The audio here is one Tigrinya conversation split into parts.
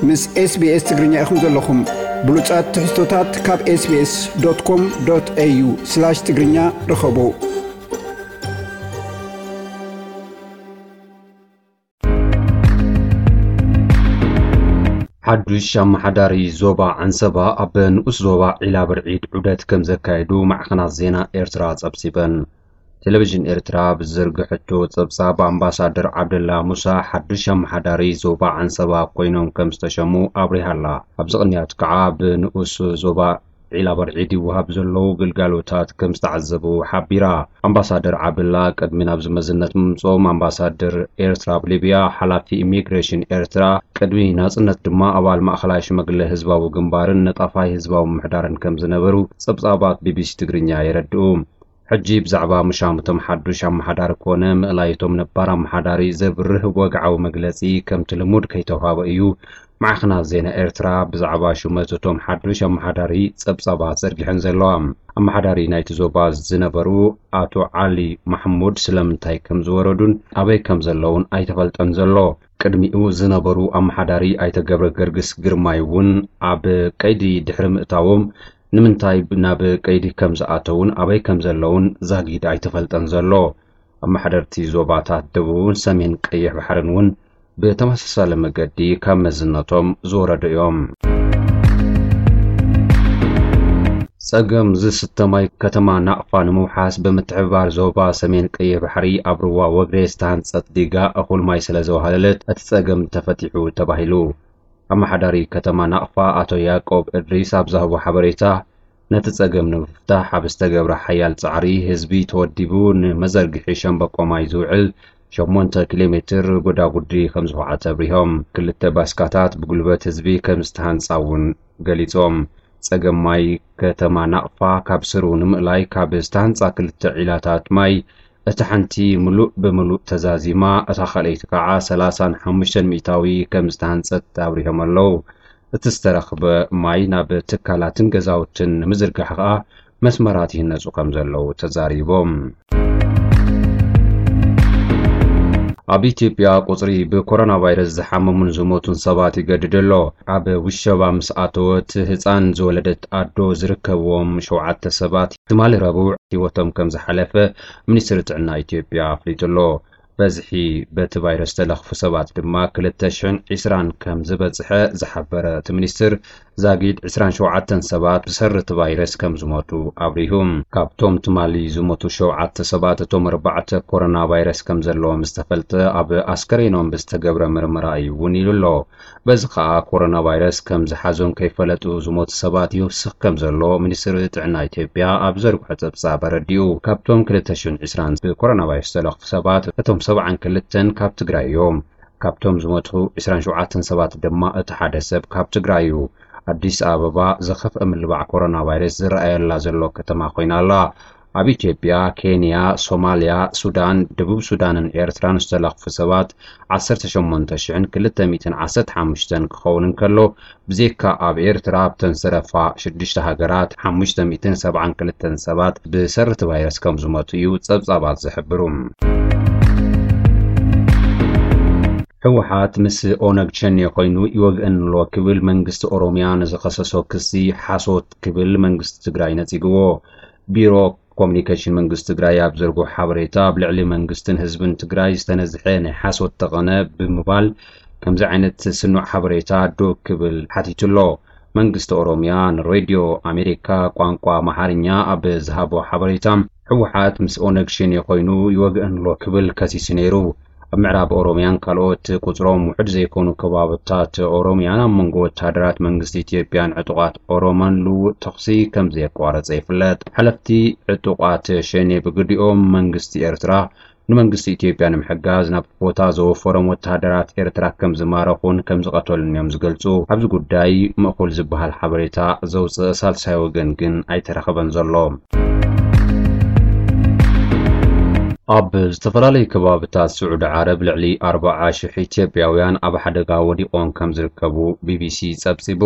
ምስ SBS ትግርኛ ኢኹም ዘለኹም። ብሉጻት ትሕዝቶታት ካብ SBS.com.au/ትግርኛ ርኸቡ። ሓዱሽ ኣመሓዳሪ ዞባ ዓንሰባ ኣብ ንኡስ ዞባ ዒላ ብርዒድ ዑደት ከም ዘካየዱ ማዕኸናት ዜና ኤርትራ ጸብጺበን። ቴሌቪዥን ኤርትራ ብዝዘርግሐቶ ጸብጻብ፣ ኣምባሳደር ዓብደላ ሙሳ ሓዱሽ ኣመሓዳሪ ዞባ ዓንሰባ ኮይኖም ከም ዝተሸሙ ኣብሪሃ ኣላ። ኣብዚ ቅንያት ከኣ ብንኡስ ዞባ ዒላ በርዒድ ይወሃብ ዘለዉ ግልጋሎታት ከም ዝተዓዘቡ ሓቢራ። ኣምባሳደር ዓብደላ ቅድሚ ናብዚ መዝነት ምምጽኦም ኣምባሳደር ኤርትራ ኣብ ሊብያ፣ ሓላፊ ኢሚግሬሽን ኤርትራ፣ ቅድሚ ናጽነት ድማ ኣባል ማእኸላይ ሽማግለ ህዝባዊ ግንባርን ነጣፋይ ህዝባዊ ምምሕዳርን ከም ዝነበሩ ጸብጻባት ቢቢሲ ትግርኛ የረድኡ። ሕጂ ብዛዕባ ምሻም እቶም ሓዱሽ ኣመሓዳሪ ኮነ ምእላይ እቶም ነባር ኣመሓዳሪ ዘብርህ ወግዓዊ መግለጺ ከምቲ ልሙድ ከይተውሃበ እዩ ማዕኸናት ዜና ኤርትራ ብዛዕባ ሹመት እቶም ሓዱሽ ኣመሓዳሪ ጸብጻባት ዘርጊሐን ዘለዋ። ኣመሓዳሪ ናይቲ ዞባ ዝነበሩ ኣቶ ዓሊ ማሕሙድ ስለምንታይ ከም ዝወረዱን ኣበይ ከም ዘለውን ኣይተፈልጠን ዘሎ። ቅድሚኡ ዝነበሩ ኣመሓዳሪ ኣይተ ገብረ ገርግስ ግርማይ እውን ኣብ ቀይዲ ድሕሪ ምእታዎም፣ ንምንታይ ናብ ቀይዲ ከም ዝኣተዉን ኣበይ ከም ዘለዉን ዛጊድ ኣይተፈልጠን ዘሎ። ኣመሓደርቲ ዞባታት ደቡብን ሰሜን ቀይሕ ባሕርን እውን ብተመሳሳሊ መገዲ ካብ መዝነቶም ዝወረዱ እዮም። ጸገም ዝስተ ማይ ከተማ ናቕፋ ንምውሓስ ብምትሕብባር ዞባ ሰሜን ቀይሕ ባሕሪ ኣብ ሩባ ወግሬ ዝተሃንጸት ዲጋ እኹል ማይ ስለ ዘዋህለለት እቲ ጸገም ተፈቲሑ ተባሂሉ። ኣመሓዳሪ ከተማ ናቕፋ ኣቶ ያዕቆብ እድሪስ ኣብ ዝሃቦ ሓበሬታ፣ ነቲ ጸገም ንምፍታሕ ኣብ ዝተገብረ ሓያል ጻዕሪ ህዝቢ ተወዲቡ ንመዘርግሒ ሸምበቆ ማይ ዝውዕል ሸሞንተ ኪሎ ሜትር ጎዳጉዲ ከም ዝኹዓተ ኣብሪሆም። ክልተ ባስካታት ብጉልበት ህዝቢ ከም ዝተሃንጻ እውን ገሊጾም። ጸገም ማይ ከተማ ናቕፋ ካብ ስሩ ንምእላይ ካብ ዝተሃንጻ ክልተ ዒላታት ማይ እታ ሓንቲ ምሉእ ብምሉእ ተዛዚማ፣ እታ ካልኣይቲ ከኣ ሰላሳን ሓሙሽተን ሚእታዊ ከም ዝተሃንጸት ኣብሪሆም ኣለዉ። እቲ ዝተረኽበ ማይ ናብ ትካላትን ገዛውትን ንምዝርጋሕ ከኣ መስመራት ይህነጹ ከም ዘለዉ ተዛሪቦም። ኣብ ኢትዮጵያ ቁጽሪ ብኮሮና ቫይረስ ዝሓመሙን ዝሞቱን ሰባት ይገድድ ኣሎ። ኣብ ውሸባ ምስ ኣተወት ህጻን ዝወለደት ኣዶ ዝርከብዎም ሸውዓተ ሰባት ትማሊ ረቡዕ ህይወቶም ከም ዝሓለፈ ሚኒስትሪ ጥዕና ኢትዮጵያ ኣፍሊጡ ኣሎ። በዝሒ በቲ ቫይረስ ዝተለኽፉ ሰባት ድማ ክልተ ሽሕን ዕስራን ከም ዝበጽሐ ዝሓበረ እቲ ሚኒስትር፣ ዛጊድ ዕስራን ሸውዓተን ሰባት ብሰሪ እቲ ቫይረስ ከም ዝሞቱ ኣብሪሁ። ካብቶም ትማሊ ዝሞቱ ሸውዓተ ሰባት፣ እቶም ኣርባዕተ ኮሮና ቫይረስ ከም ዘለዎም ዝተፈልጠ ኣብ ኣስከሬኖም ብዝተገብረ ምርመራ እዩ እውን ኢሉ ኣሎ። በዚ ከኣ ኮሮና ቫይረስ ከም ዝሓዞም ከይፈለጡ ዝሞቱ ሰባት ይውስኽ ከም ዘሎ ሚኒስትሪ ጥዕና ኢትዮጵያ ኣብ ዘርግሖ ጸብጻብ ኣረዲኡ። ካብቶም ክልተ ሽሕን ዕስራን ብኮሮና ቫይረስ ዝተለኽፉ ሰባት፣ እቶም ሰብዓን ክልተን ካብ ትግራይ እዮም። ካብቶም ዝሞቱ ዕስራን ሸውዓተን ሰባት ድማ እቲ ሓደ ሰብ ካብ ትግራይ እዩ። ኣዲስ ኣበባ ዝኸፍአ ምልባዕ ኮሮና ቫይረስ ዝረኣየላ ዘሎ ከተማ ኮይና ኣላ። ኣብ ኢትዮጵያ፣ ኬንያ፣ ሶማልያ፣ ሱዳን፣ ደቡብ ሱዳንን ኤርትራን ዝተለኽፉ ሰባት ዓሰርተ ሸሞንተ ሽሕን ክልተ ሚእትን ዓሰርተ ሓሙሽተን ክኸውን እንከሎ፣ ብዜካ ኣብ ኤርትራ፣ ኣብተን ዝተረፋ ሽዱሽተ ሃገራት ሓሙሽተ ሚእትን ሰብዓን ክልተን ሰባት ብሰሪ እቲ ቫይረስ ከም ዝሞቱ እዩ ጸብጻባት ዝሕብሩ። ህወሓት ምስ ኦነግ ሸኔ ኮይኑ ይወግአን ኣሎ ክብል መንግስቲ ኦሮሚያ ንዝኸሰሶ ክሲ ሓሶት ክብል መንግስቲ ትግራይ ነጺግዎ። ቢሮ ኮሙኒኬሽን መንግስቲ ትግራይ ኣብ ዘርግሖ ሓበሬታ፣ ኣብ ልዕሊ መንግስትን ህዝብን ትግራይ ዝተነዝሐ ናይ ሓሶት ተቐነ ብምባል፣ ከምዚ ዓይነት ስኑዕ ሓበሬታ ዶ ክብል ሓቲቱ ኣሎ። መንግስቲ ኦሮሚያ ንሬድዮ ኣሜሪካ ቋንቋ ኣምሓርኛ ኣብ ዝሃቦ ሓበሬታ፣ ህወሓት ምስ ኦነግ ሸኔ ኮይኑ ይወግአን ኣሎ ክብል ከሲሱ ነይሩ። ኣብ ምዕራብ ኦሮሚያን ካልኦት ቁጽሮም ውሑድ ዘይኮኑ ከባብታት ኦሮሚያን ኣብ መንጎ ወተሃደራት መንግስቲ ኢትዮጵያን ዕጡቓት ኦሮሞን ልውውጥ ተኹሲ ከም ዘየቋረጸ ይፍለጥ። ሓለፍቲ ዕጡቓት ሸኔ ብግዲኦም፣ መንግስቲ ኤርትራ ንመንግስቲ ኢትዮጵያ ንምሕጋዝ ናብ ቦታ ዘወፈሮም ወተሃደራት ኤርትራ ከም ዝማረኹን ከም ዝቐተሉን እዮም ዝገልጹ። ኣብዚ ጉዳይ ምእኹል ዝበሃል ሓበሬታ ዘውጽእ ሳልሳይ ወገን ግን ኣይተረኸበን ዘሎ። ኣብ ዝተፈላለዩ ከባብታት ስዑዲ ዓረብ ልዕሊ ኣርባዓ ሽሕ ኢትዮጵያውያን ኣብ ሓደጋ ወዲቖም ከም ዝርከቡ ቢቢሲ ጸብጺቡ።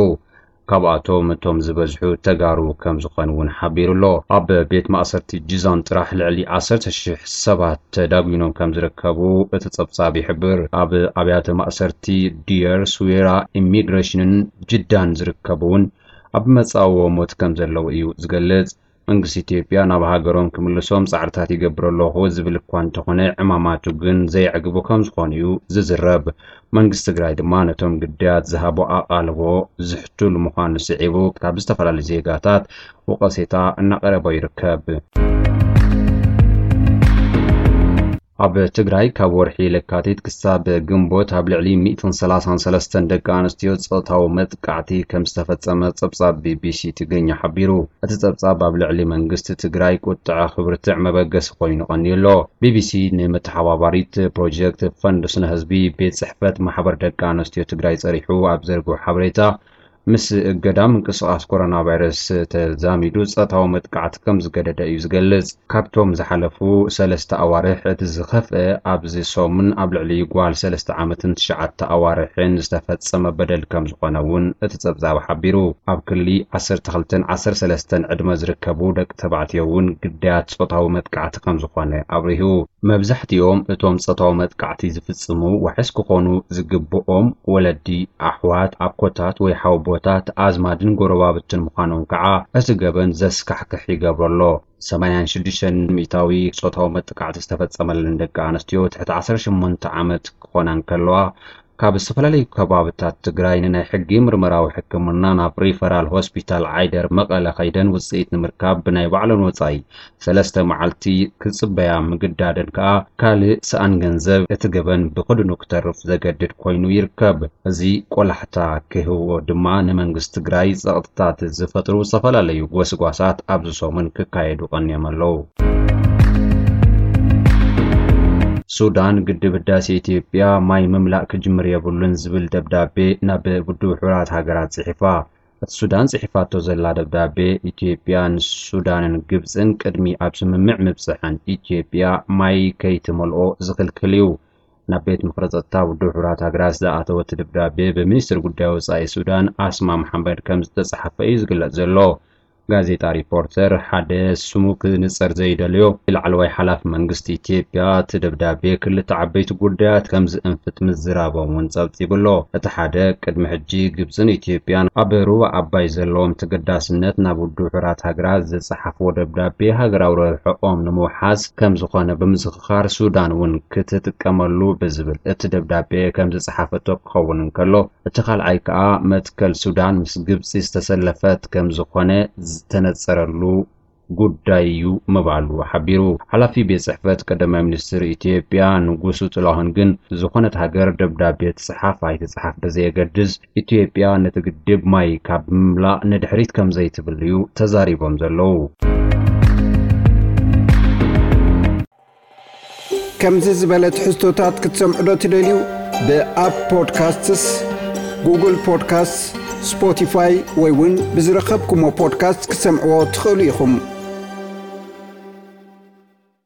ካብኣቶም እቶም ዝበዝሑ ተጋሩ ከም ዝኾኑ እውን ሓቢሩ ኣሎ። ኣብ ቤት ማእሰርቲ ጂዛን ጥራሕ ልዕሊ ዓሰርተ ሽሕ ሰባት ተዳጒኖም ከም ዝርከቡ እቲ ጸብጻብ ይሕብር። ኣብ ኣብያተ ማእሰርቲ ዲየር፣ ስዌራ፣ ኢሚግሬሽንን ጅዳን ዝርከቡ እውን ኣብ መጻእዎ ሞት ከም ዘለዉ እዩ ዝገልጽ። መንግስቲ ኢትዮጵያ ናብ ሃገሮም ክምልሶም ጻዕርታት ይገብር ኣለኹ ዝብል እኳ እንተኾነ፣ ዕማማቱ ግን ዘየዕግቡ ከም ዝኾኑ እዩ ዝዝረብ። መንግስቲ ትግራይ ድማ ነቶም ግዳያት ዝሃቦ ኣቓልቦ ዝሕቱል ምዃኑ ስዒቡ፣ ካብ ዝተፈላለዩ ዜጋታት ወቐሴታ እናቐረቦ ይርከብ። ኣብ ትግራይ ካብ ወርሒ ለካቲት ክሳብ ግንቦት ኣብ ልዕሊ ሚእትን ሰላሳን ሰለስተን ደቂ ኣንስትዮ ጾታዊ መጥቃዕቲ ከም ዝተፈጸመ ጸብጻብ ቢቢሲ ትግርኛ ሓቢሩ። እቲ ጸብጻብ ኣብ ልዕሊ መንግስቲ ትግራይ ቁጥዐ ክብርትዕ መበገሲ ኮይኑ ቀንዩ ኣሎ። ቢቢሲ ንመተሓባባሪት ፕሮጀክት ፈንድ ስነ ህዝቢ ቤት ጽሕፈት ማሕበር ደቂ ኣንስትዮ ትግራይ ጸሪሑ ኣብ ዘርግሑ ሓበሬታ፣ ምስ እገዳ ምንቅስቓስ ኮሮና ቫይረስ ተዛሚዱ ጾታዊ መጥቃዕቲ ከም ዝገደደ እዩ ዝገልጽ። ካብቶም ዝሓለፉ ሰለስተ ኣዋርሕ እቲ ዝኸፍአ ኣብዚ ሰሙን ኣብ ልዕሊ ጓል ሰለስተ ዓመትን ትሽዓተ ኣዋርሕን ዝተፈጸመ በደል ከም ዝኾነ እውን እቲ ጸብጻብ ሓቢሩ። ኣብ ክሊ ዓሰርተ ክልተን ዓሰርተ ሰለስተን ዕድመ ዝርከቡ ደቂ ተባዕትዮ እውን ግዳያት ጾታዊ መጥቃዕቲ ከም ዝኾነ ኣብሪሁ። መብዛሕትኦም እቶም ጾታዊ መጥቃዕቲ ዝፍጽሙ ዋሕስ ክኾኑ ዝግብኦም ወለዲ፣ ኣሕዋት፣ ኣኮታት ወይ ሓወቦታት፣ ኣዝማድን ጎረባብትን ምዃኖም ከዓ እቲ ገበን ዘስካሕክሕ ይገብሮ ኣሎ። ሰማንያን ሽዱሽተን ሚእታዊ ጾታዊ መጥቃዕቲ ዝተፈጸመለን ደቂ ኣንስትዮ ትሕቲ ዓሰርተ ሸሞንተ ዓመት ክኾና እንከለዋ፣ ካብ ዝተፈላለዩ ከባብታት ትግራይ ንናይ ሕጊ ምርመራዊ ሕክምና ናብ ሪፈራል ሆስፒታል ዓይደር መቐለ ከይደን ውፅኢት ንምርካብ ብናይ ባዕለን ወፃኢ ሰለስተ መዓልቲ ክጽበያ ምግዳደን ከኣ ካልእ ሰኣን ገንዘብ እቲ ገበን ብኽድኑ ክተርፍ ዘገድድ ኮይኑ ይርከብ። እዚ ቆላሕታ ክህቦ ድማ ንመንግስቲ ትግራይ ጸቕጥታት ዝፈጥሩ ዝተፈላለዩ ጎስጓሳት ኣብዚ ሰሙን ክካየዱ ቀንዮም ኣለዉ። ሱዳን ግድብ ህዳሴ ኢትዮጵያ ማይ ምምላእ ክጅምር የብሉን ዝብል ደብዳቤ ናብ ውድብ ሕቡራት ሃገራት ጽሒፋ። እቲ ሱዳን ጽሒፋቶ ዘላ ደብዳቤ፣ ኢትዮጵያ ንሱዳንን ግብጽን ቅድሚ ኣብ ስምምዕ ምብጽሐን ኢትዮጵያ ማይ ከይትመልኦ ዝኽልክል እዩ። ናብ ቤት ምኽሪ ጸጥታ ውድብ ሕቡራት ሃገራት ዝኣተወ እቲ ደብዳቤ ብሚኒስትር ጉዳይ ወጻኢ ሱዳን ኣስማ መሓመድ ከም ዝተጻሕፈ እዩ ዝግለጽ ዘሎ። ጋዜጣ ሪፖርተር ሓደ ስሙ ክንጸር ዘይደልዮ ላዕለዋይ ሓላፊ መንግስቲ ኢትዮጵያ፣ እቲ ደብዳቤ ክልተ ዓበይቲ ጉዳያት ከም ዝእንፍት ምዝራቦም እውን ጸብጺቡ ኣሎ። እቲ ሓደ፣ ቅድሚ ሕጂ ግብጽን ኢትዮጵያን ኣብ ሩባ ኣባይ ዘለዎም ተገዳስነት ናብ ውድብ ሕቡራት ሃገራት ዝጸሓፍዎ ደብዳቤ ሃገራዊ ረብሕኦም ንምውሓስ ከም ዝኾነ ብምዝኽኻር፣ ሱዳን እውን ክትጥቀመሉ ብዝብል እቲ ደብዳቤ ከም ዝጸሓፈቶ ክኸውን እንከሎ፣ እቲ ካልኣይ ከኣ መትከል ሱዳን ምስ ግብጺ ዝተሰለፈት ከም ዝኾነ ዝተነጸረሉ ጉዳይ እዩ ምባሉ ሓቢሩ። ሓላፊ ቤት ጽሕፈት ቀዳማይ ሚኒስትር ኢትዮጵያ ንጉሱ ጥላሁን ግን ዝኾነት ሃገር ደብዳቤ ትጽሓፍ ኣይትጽሓፍ ብዘየገድስ፣ ኢትዮጵያ ነቲ ግድብ ማይ ካብ ምምላእ ንድሕሪት ከም ዘይትብል እዩ ተዛሪቦም ዘለዉ። ከምዚ ዝበለ ትሕዝቶታት ክትሰምዑ ዶ ትደልዩ? ብኣፕ ፖድካስትስ፣ ጉግል ፖድካስትስ፣ ስፖቲፋይ ወይ እውን ብዝረኸብኩሞ ፖድካስት ክትሰምዕዎ ትኽእሉ ኢኹም።